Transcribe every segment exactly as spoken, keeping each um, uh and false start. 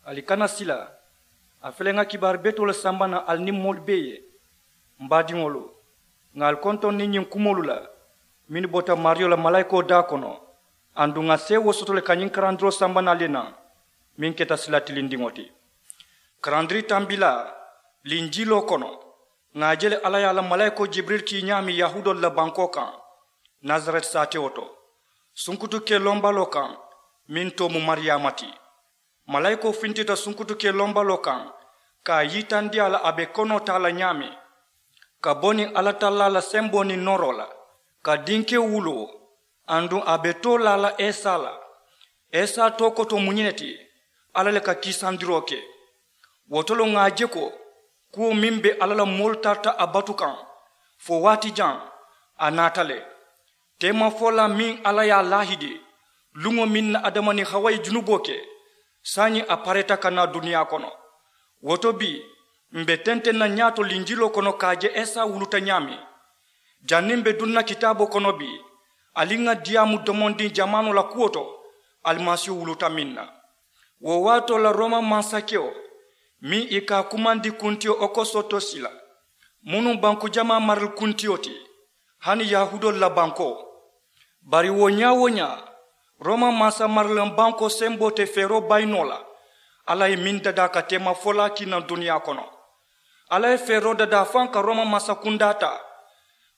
Ali kana sila. A fele ŋa kibaaru betoo le samba naŋ ali niŋ moolu bee ye. M baadiŋolu, ŋa ali kontoŋ niŋ ñiŋ kumoolu la mennu bota maariyo la malaayikoo daa kono. Aduŋ ŋa seewoo soto le ka ñiŋ karandiroo samba naŋ ali ye naŋ meŋ keta sila tilindiŋo ti. Karandiri tambilaa linjiiloo kono, ŋa a je le alla ye a la malaayikoo jibirili kii ñaameŋ yahuudoolu la bankoo kaŋ, nasareti saatewo to, sunkutu kee lombaloo kaŋ meŋ too mu mariyaama ti. Malaayikoo fintita sunkutu kee lombaloo kaŋ, ka a yitandi a la a be konoo taa la ñaameŋ, ka bo niŋ alla tallaa la semboo niŋ nooroo la, ka dinkewo wuloo, aduŋ a be too laa la esa la. Esa too koto mu ñiŋ ne ti, alla le ka kiisandiroo ke. Wo to le ŋa a je ko kuwo meŋ be alla la moolu tarata a batu kaŋ fo waati jaŋ, a naata le. Teemafolaa meŋ alla ye a laahidi luŋo meŋ na adama niŋ hawa ye junuboo ke, saayiŋ a pareeta ka naa duniyaa kono. Wo to bii, m̀ be tenteŋ na ñaato linjiloo kono ka a je esa wuluta ñaameŋ. Janniŋ m̀ be duŋ na kitaaboo kono bii, ali ŋa diyaamu domondiŋ jamaanoo la kuwo to, alimasiihu wuluta meŋ na. Wo waatoo la rooma mansakewo meŋ i ka a kumandi kuntiyo okosotosi la, munuŋ banku jamaa marali kuntiyo ti, hani yahuudoolu la bankoo. Bari wo ñaa-wo-ñaa, rooma mansa marilaŋ bankoo semboo te feeroo bayi noo la. Alla ye meŋ dadaa ka teemafolaa kii naŋ duniyaa kono. Alla ye feeroo dadaa faŋ ka rooma mansa kundaa taa,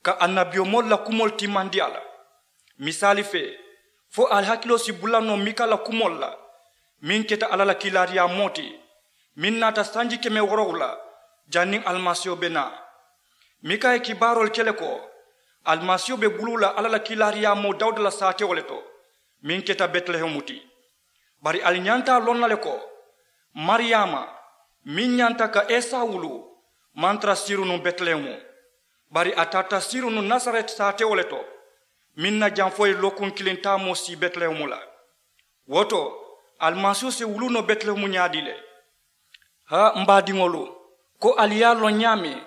ka annabiyomoolu la kumoolu timmandi a la. Misaali fee, fo ali hakiloo si bula noo mika la kumoolu la, meŋ keta alla la kiilaariyaamoo ti, meŋ naata sanji keme woorowula janniŋ alimasiiho be naa. Mika ye kibaaroolu ke le ko alimasiiho be buluu la alla la kiilaariyaamoo dawuda la saatewo le to, meŋ keta betilehemu ti. Bari ali ñanta a loŋ na le ko mariyaama meŋ ñanta ka esa wuluu maŋ tara siiruŋ nuŋ betilehemu, bari a tarata siiruŋ nuŋ nasareti saatewo le to, meŋ na jaŋ fo ye lookuŋ kiliŋ taamoo sii betilehemu la. Wo to alimasiiho si wuluu noo betilehemu ñaadii le? Haa m baadiŋolu, ko ali ye a loŋ ñaameŋ,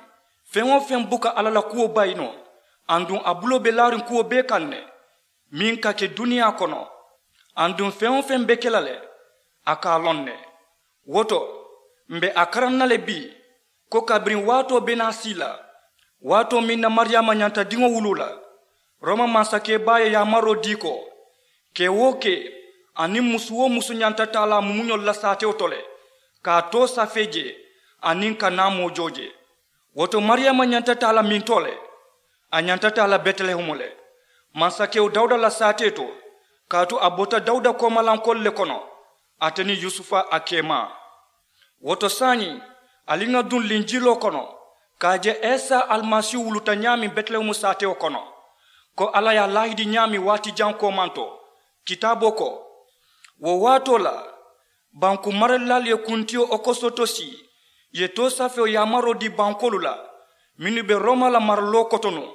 feŋ-wo-feŋ buka alla la kuwo bayi noo, aduŋ a buloo be laariŋ kuwo bee kaŋ ne, meŋ ka ke duniyaa kono, aduŋ feŋ-wo-feŋ be ke la le, a ka a loŋ ne. Wo to m̀ be a karaŋ na le bii, ko kabiriŋ waatoo be naa sii la, waatoo meŋ na mariyaama ñanta diŋo wuluu la, rooma mansakee baa ye yaamaroo dii ko kee-wo-kee aniŋ musu-wo-musu ñanta taa la a mumuñolu la saatewo to le, ka a too safee jee aniŋ ka naamoo joo jee. Wo to mariyaama ñanta taa la mintoo le, a ñanta taa la betilehemu le, mansakewo dawuda la saatee to, kaatu a bota dawuda koomalankoolu le kono, ate niŋ yusufa a keemaa. Wo to saayiŋ, ali ŋa duŋ linjiloo kono ka a je isa alimasiihu wuluta ñaameŋ betilehemu saatewo kono, ko alla ye a laahidi ñaameŋ waati jaŋ koomanto. Kitaaboo ko, wo waatoo la banku maralilaalu ye kuntiyo okosotosi ye toosafewo yaamaroo dii bankoolu la mennu be rooma la maraloo koto nuŋ.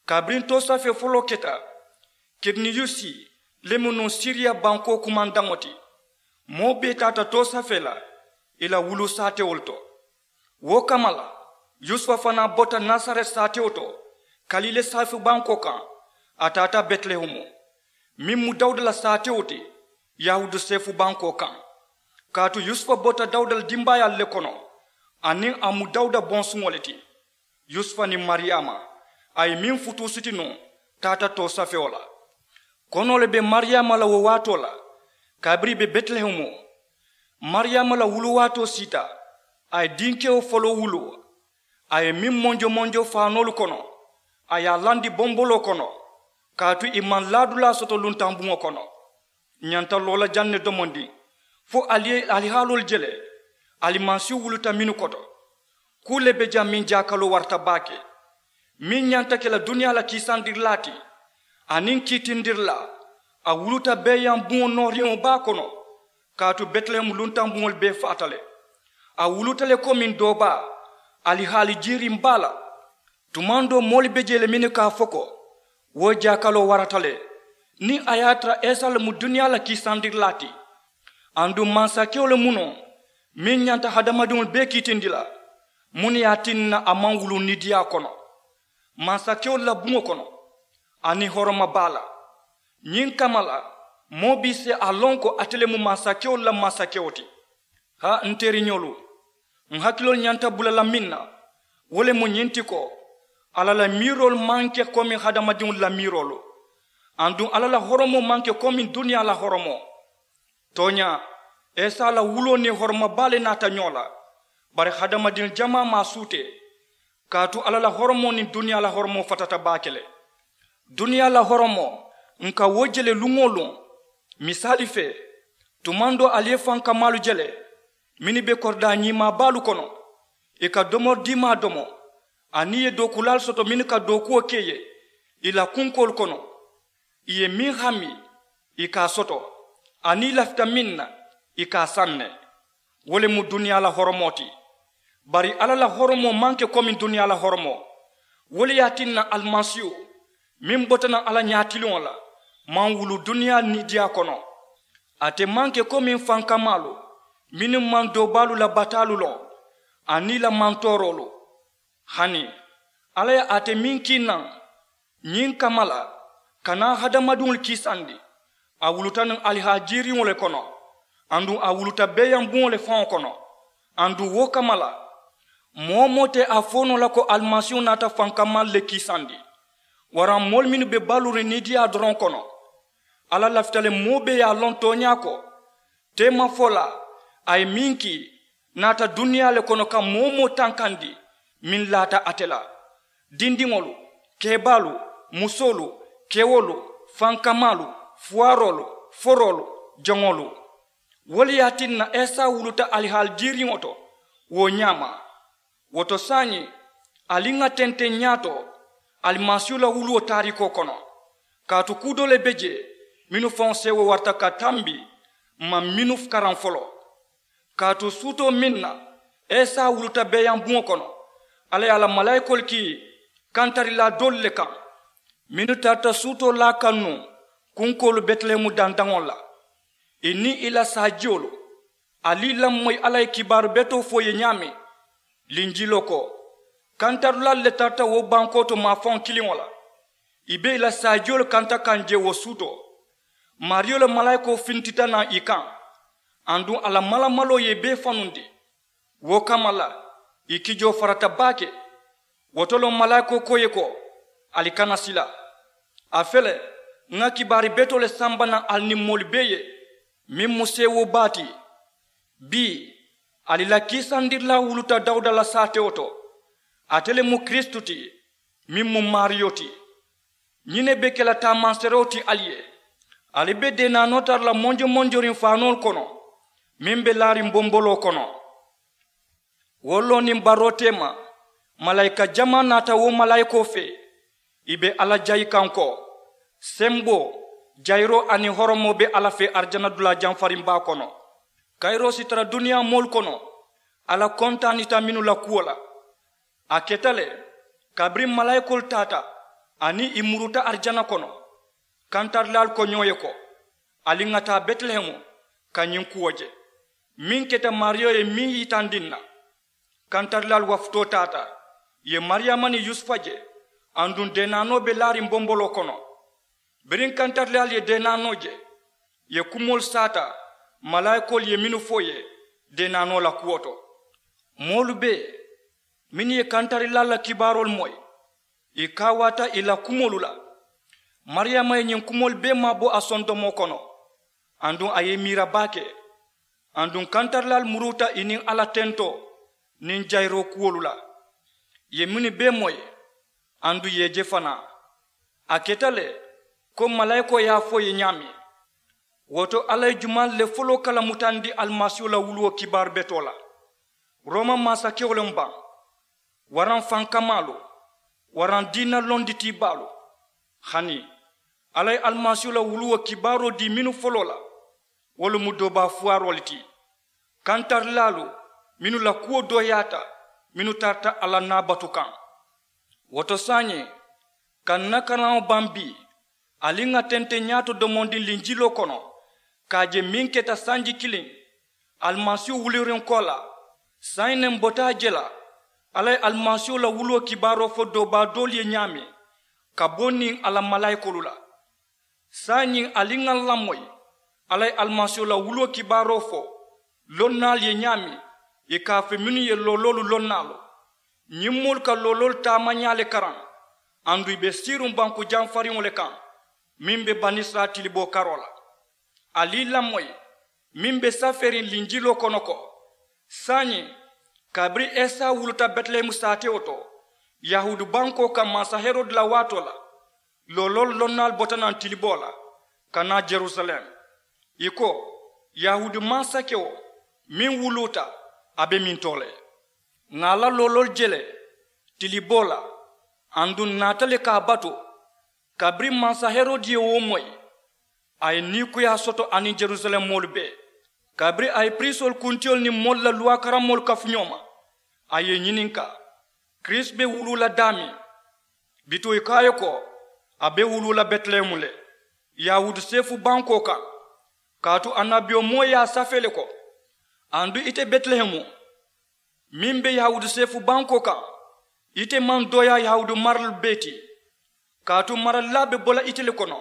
Kabiriŋ toosafee foloo keta, kiriniyusi le mu nuŋ siriya bankoo kumandaŋo ti, moo bee taata toosafee la ì la wuluu saatewolu to. Wo kamma la, yusufa fanaa bota nasareti saatewo to, kalile seefu bankoo kaŋ, a taata betilehemu, meŋ mu dawuda la saatewo ti, yahuudu seefu bankoo kaŋ. Kaatu yusufa bota dawuda la dimbaayaalu le kono, aniŋ a mu dawuda bonsuŋo le ti. Yusufa niŋ mariyaama, a ye meŋ futuu siti nuŋ, taata toosafewo la. Konoo le be mariyaama la wo waatoo la, kabiriŋ ì be betilehemu. Mariyaama la wuluwaatoo siita, a ye dinkewo foloo wuluu. A ye meŋ monjo monjo faanoolu kono, a ye a landi bomboloo kono, kaatu ì maŋ laadulaa soto luntaŋ buŋo kono. Ǹ ñanta loo la jaŋ ne domondiŋ, fo ali ye ali haaloolu je le, alimasiihu wuluta mennu koto. Kuu le be jaŋ meŋ jaakaloo warata baake, meŋ ñanta ke la duniyaa la kiisandirilaa ti aniŋ kiitindirilaa. A wuluta beeyaŋ buŋo nooriŋo baa kono, kaatu betilehemu luntaŋ buŋolu bee faata le. A wuluta le komiŋ doo baa, ali haali jiiriŋ baa la. Tumaŋ doo moolu be jee le mennu ka a fo ko, wo jaakaloo warata le, niŋ a ye a tara isa le mu duniyaa la kiisandirilaa ti. Aduŋ mansakewo le mu noo, meŋ ñanta hadamadiŋolu bee kiitindi la? Muŋ ne ye a tinna a maŋ wuluu nidiyaa kono mansakewolu la buŋo kono, aniŋ horoma baa la? Ñiŋ kamma la, moo bee si a loŋ ko ate le mu mansakewolu la mansakewo ti. Haa n teriñolu, n hakiloolu ñanta bula la meŋ na, wo le mu ñiŋ ti ko, alla la miiroolu maŋ ke komi hadamadiŋolu la miiroolu. Aduŋ alla la horomoo maŋ ke komi duniyaa la horomoo. Tooñaa, isa la wuloo niŋ horoma baa le naata ñoo la. Bari hadamadiŋ jamaa maŋ a suutee, kaatu alla la horomoo niŋ duniyaa la horomoo fatata baake le. Duniyaa la horomoo, n ka wo je le luŋ-wo-luŋ. Misaali fee, tumaŋ doo ali ye fankamaalu je le, mennu be koridaa ñiimaa baalu kono, ì ka domori diimaa domo, aniŋ ì ye dookulaalu soto mennu ka dookuwo ke ì ye ì la kunkoolu kono. Ì ye meŋ hami, ì ka a soto, aniŋ ì lafita meŋ na, ì ka a saŋ ne. Wo le mu duniyaa la horomoo ti. Bari alla la horomoo maŋ ke komi duniyaa la horomoo. Wo le ye a tinna alimasiihu, meŋ bota naŋ alla ñaatiliŋo la, maŋ wulu duniyaa niidiyaa kono. Ate maŋ ke komi fankamaalu, mennu maŋ doobaalu la bataalu loŋ, aniŋ ì la mantooroolu. Hani alla ye ate meŋ kii naŋ ñiŋ kamma la, ka naa hadamadiŋolu kiisandi, a wuluta nuŋ alihaali jiiriŋo le kono, aduŋ a wuluta beeyaŋ buŋo le faŋo kono. Aduŋ wo kamma la, moo-wo-moo te a fo noo la ko alimasiihu naata fankamaalu le kiisandi, waraŋ moolu mennu be baluuriŋ niidiyaa doroŋ kono. Alla lafita le moo bee ye a loŋ tooñaa ko, teemafolaa a ye meŋ kii, naata duniyaa le kono ka moo-wo-moo tankandi meŋ laata ate la. Dindiŋolu, keebaalu, musoolu, kewolu, fankamaalu, fuwaaroolu, foroolu, joŋolu. Wo le ye a tinna isa wuluta alihaali jiiriŋo to wo ñaama. Wo to saayiŋ, ali ŋà tenteŋ ñaato alimasiihu la wuluwo taariikoo kono. Kaatu kuu doo le be jee mennu faŋo seewoo warata ka tambi, m maŋ mennu karaŋ foloo. Kaatu suutoo meŋ na isa wuluta beeyaŋ buŋo kono, alla ye a la malaayikoolu kii kantarilaa doolu le kaŋ, mennu tarata suutoo laa kaŋ nuŋ kunkoolu betilehemu dandaŋo la, ì niŋ ì la saajiyolu. Ali lamoyi alla ye kibaaru betoo fo ì ye ñaameŋ, linjiloo ko, kantarilaalu le tarata wo bankoo to maafaŋo kiliŋo la. Ì be ì la saajiyolu kanta kaŋ jee wo suutoo. Maariyo la malaayikoo fintita naŋ ì kaŋ, aduŋ a la malamaloo ye ì bee fanundi. Wo kamma la, ì kijoo farata baake. Wo to loŋ malaayikoo ko ì ye ko, ali kana sila. A fele, ŋà kibaari betoo le samba naŋ ali niŋ moolu bee ye, meŋ mu seewoo baa ti. Bii, ali la kiisandirilaa wuluta dawuda la saatewo to. Ate le mu kiristu ti, meŋ mu maariyo ti. Ñiŋ ne be ke la taamanseerewo ti ali ye. Ali be deenaanoo tara la monjomonjoriŋ faanoolu kono, meŋ be laariŋ bomboloo kono. Wo loo niŋ baroo teema, malaayika jamaa naata wo malaayikoo fee. Ì be alla jayi kaŋ ko, semboo, jayiroo aniŋ horomoo be alla fee arijana dulaa jamfariŋ baa kono. Kayiroo si tara duniyaa moolu kono, alla kontaanita mennu la kuwo la. A keta le, kabiriŋ malaayikoolu taata aniŋ ì muruuta arijana kono, kantarilaalu ko ñoo ye ko, ali ŋà taa betilehemu ka ñiŋ kuwo je, meŋ keta maariyo ye meŋ yitandi n na. Kantarilaalu wafutoo taata, ì ye mariyaama niŋ yusufa je, aduŋ deenaanoo be laariŋ bomboloo kono. Biriŋ kantarilaalu ye deenaanoo je, ì ye kumoolu saata malaayikoolu ye mennu fo ì ye deenaanoo la kuwo to. Moolu bee mennu ye kantarilaalu la kibaaroolu moyi, ì kaawaata ì la kumoolu la. Mariyaama ye ñiŋ kumoolu bee maabo a sondomoo kono, aduŋ a ye ì miira baake. Aduŋ kantarilaalu muruuta ì niŋ alla tentoo niŋ jayiroo kuwolu la, ì ye mennu bee moyi, aduŋ ì ye ì je fanaa. A keta le, ko malaayikoo ye a fo ì ye ñaameŋ. Wo to alla ye jumaalu le foloo kalamutandi alimasiihu la wuluwo kibaaru betoo la? Rooma maasakewo le mu baŋ, waraŋ fankamaalu, waraŋ diina londitiibaalu? Hani, alla ye alimasiihu la wuluwo kibaaroo dii mennu foloo la, wolu mu doobaa fuwaaroo le ti. Kantarilaalu mennu la kuwo dooyaata, mennu tarata alla naabatu kaŋ. Wo to saayiŋ, ka n na karaŋo baŋ bii, ali ŋà tenteŋ ñaato domondiŋ linjiloo kono, ka a je meŋ keta sanji kiliŋ alimasiihu wulirinkoo la. Saayiŋ ne m bota a je la, alla ye alimasiihu la wuluwo kibaaroo fo doobaa doolu ye ñaameŋ, ka bo niŋ a la malaayikoolu la. Saayiŋ ali ŋà lamoyi, alla ye alimasiihu la wuluwo kibaaroo fo Lonnaalu ye ñaameŋ, ì ka a fo mennu ye looloolu lonnaalu, ñiŋ moolu ka looloolu taamañaa le karaŋ. Aduŋ ì be siiriŋ banku jamfariŋo le kaŋ, meŋ be banisirayila tiliboo karoo la. Ali ì lamoyi meŋ be safeeriŋ linjiloo kono ko, saayiŋ, kabiriŋ esa wuluta betilehemu saatewo to, yahuudu bankoo kaŋ mansa herodi la waatoo la, looloolu lonnaalu bota naŋ tiliboo la ka naa jerusalem. Ì ko, yahuudu mansakewo meŋ wuluuta, a be mintoo le. Ŋà a la looloolu je le tiliboo la, aduŋ ǹ naata le ka a batu. Kabiriŋ mansa herodi ye wo moyi, a ye niikuyaa soto aniŋ jerusalem moolu bee. Kabiriŋ a ye piriisoolu kuntiyolu niŋ moolu la luwaa karammoolu kafu ñoo ma, a ye ì ñininkaa, kiristu be wuluu la daameŋ? Bituŋ ì ko a ye ko, a be wuluu la betilehemu le, yahuudu seefu bankoo kaŋ. Kaatu annabiyomoo ye a safee le ko, aduŋ ite betilehemu, meŋ be yahuudu seefu bankoo kaŋ, ite maŋ dooyaa yahuudu maralu bee ti. Kaatu maralilaa be bo la ite le kono,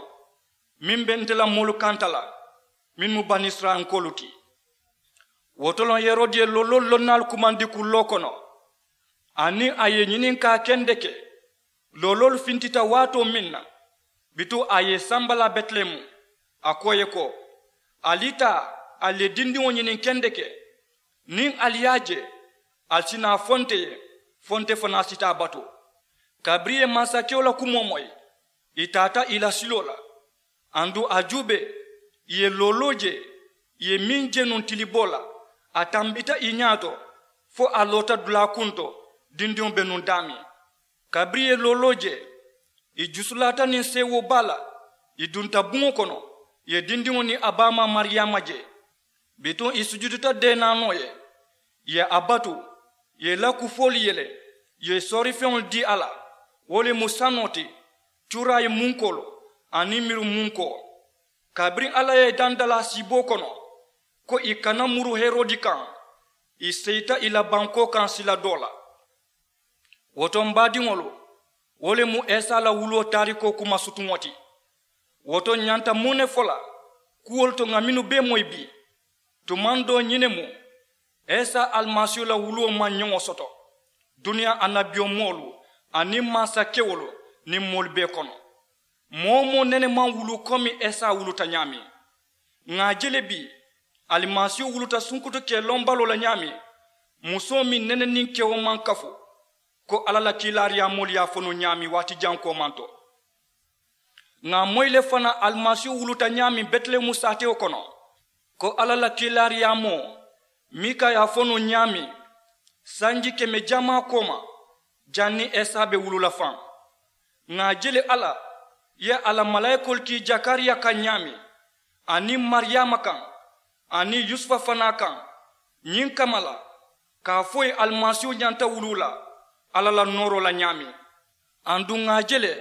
meŋ be nte la moolu kanta la, mennu mu banisirayilankoolu ti. Wo to loŋ herodi ye looloolu lonnaalu kumandi kulloo kono, aniŋ a ye ì ñininkaa kendeke, looloolu fintita waatoo meŋ na, bituŋ a ye ì sambalaa betilehemu, a ko ì ye ko, ali taa, ali ye dindiŋo ñiniŋ kendeke. Niŋ ali ye a je, ali si naa fo nte ye, fo nte fanaa si taa a batu. Kabiriŋ ì ye mansakewo la kumoo moyi, ì taata ì la siloo la. Aduŋ a juubee, ì ye looloo je, ì ye meŋ je nuŋ tiliboo la, a tambita ì ñaa to, fo a loota dulaa kuŋ to, dindiŋo be nuŋ daameŋ. Kabiriŋ ì ye looloo je, ì jusulaata niŋ seewoo baa la, ì dunta buŋo kono, ì ye dindiŋo niŋ a baamaa mariyaama je. Bituŋ ì sujudita deenaanoo ye, ì ye a batu, ì ye ì la kufoolu yele, ì ye soorifeŋolu dii a la, wo le mu sanoo ti, cuuraayi munkoolu aniŋ miru munkoo. Kabiriŋ alla ye ì daŋ dalaa siiboo kono, ko ì kana muru herodi kaŋ, ì seyita ì la bankoo kaŋ sila doo la. Wo to m baadiŋolu, wo le mu esa la wuluwo taarikoo kuma sutuŋo ti. Wo to ǹ ñanta muŋ ne fo la kuwolu to ŋà mennu bee moyi bii? Tumaŋ doo ñiŋ ne mu, esa alimasiihu la wuluwo maŋ ñoŋo soto duniyaa annabiyomoolu aniŋ mansakewolu niŋ moolu bee kono. Moo-wo-moo nene maŋ wuluu komi esa wuluta ñaameŋ. Ŋà a je le bii, alimasiihu wuluta sunkutu kee lombaloo la ñaameŋ, musoo meŋ nene niŋ kewo maŋ kafu, ko alla la kiilaariyaamoolu ye a fo nuŋ ñaameŋ waati jaŋ koomanto. Ŋà a moyi le fanaa alimasiihu wuluta ñaameŋ betilehemu saatewo kono, ko alla la kiilaariyaamoo, mika ye a fo nuŋ ñaameŋ, sanji keme jamaa kooma, janniŋ esa be wuluu la faŋ. Ŋà a je le alla ye a la malaayikoolu kii jakariya kaŋ ñaameŋ, aniŋ mariyaama kaŋ, aniŋ yusufa fanaa kaŋ, ñiŋ kamma la, ka a fo ì ye alimasiihu ñanta wuluu la alla la nooroo la ñaameŋ. Aduŋ ŋà a je le,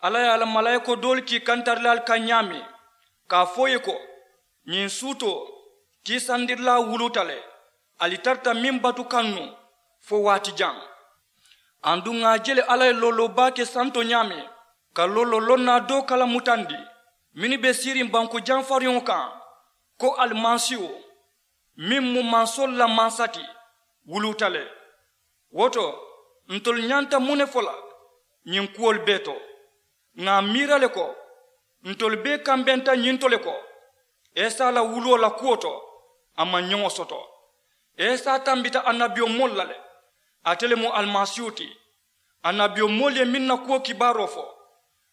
alla ye a la malaayikoo doolu kii kantarilaalu kaŋ ñaameŋ, ka a fo ì ye ko, ñiŋ suutoo, tiisandirilaa wuluuta le, ali tarata meŋ batu kaŋ nuŋ fo waati jaŋ. Aduŋ ŋà a je le alla ye looloo baa ke santo ñaameŋ, ka looloo lonnaa doo kala mutandi, mennu be siiriŋ banku jamfariŋo kaŋ, ko alimasiihu, meŋ mu mansoolu la mansa ti, wuluuta le. Wo to, ntolu ñanta muŋ ne fo la ñiŋ kuwolu bee to? Ŋà a miira le ko, ntolu bee kambenta ñiŋ to le ko, esa la wuluwo la kuwo to, a maŋ ñoŋo soto. Esa tambita annabiyomoolu la le, ate le mu alimasiihu ti. Annabiyomoolu ye meŋ na kuwo kibaaroo fo,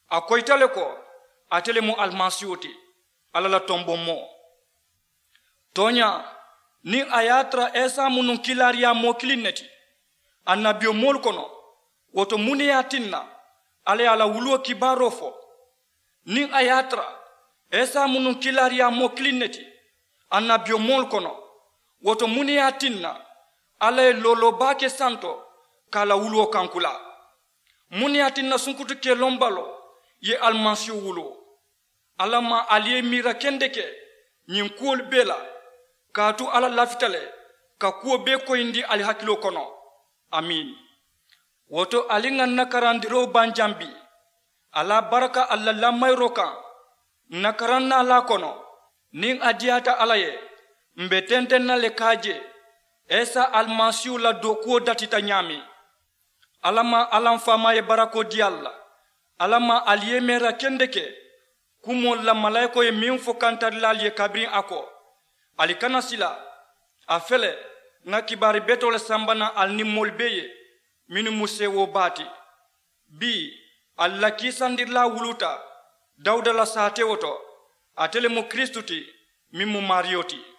a koyita le ko, ate le mu alimasiihu ti, alla la tomboŋ moo. Tooñaa, niŋ a ye a tara esa mu nuŋ kiilaariyaamoo kiliŋ ne ti annabiyomoolu kono, wo to muŋ ne ye a tinna alla ye a la wuluwo kibaaroo fo? Niŋ a ye a tara esa mu nuŋ kiilaariyaamoo kiliŋ ne ti annabiyomoolu kono, wo to muŋ ne ye a tinna alla ye looloo baa ke santo ka a la wuluwo kankulaa? Muŋ ne ye a tinna sunkutu kelombaloo ye alimasiihu wuluu? Alla maŋ ali ye miira kendeke ñiŋ kuwolu bee la, kaatu alla lafita le ka kuwo bee koyindi ali hakiloo kono. Amiin. Wo to ali ŋà ǹ na karandiroo baŋ jaŋ bii, ali a baraka ali la lamayiroo kaŋ. Ǹ na karaŋ naalaa kono, niŋ a diyaata alla ye, M̀ be tenteŋ na le ka a je isa alimasiihu la dookuwo datita ñaameŋ. Alla maŋ alla m faamaa ye barakoo dii ali la. Alla maŋ ali yemeera kendeke kumoolu la malaayikoo ye meŋ fo kantarilaalu ye kabiriŋ a ko, ali kana sila. A fele, ŋa kibaari betoo le samba naŋ ali niŋ moolu bee ye mennu mu seewoo baa ti. Bii ali la kiisandirilaa wuluuta dawuda la saatewo to. Ate le mu kiristu ti, meŋ mu maariyo ti.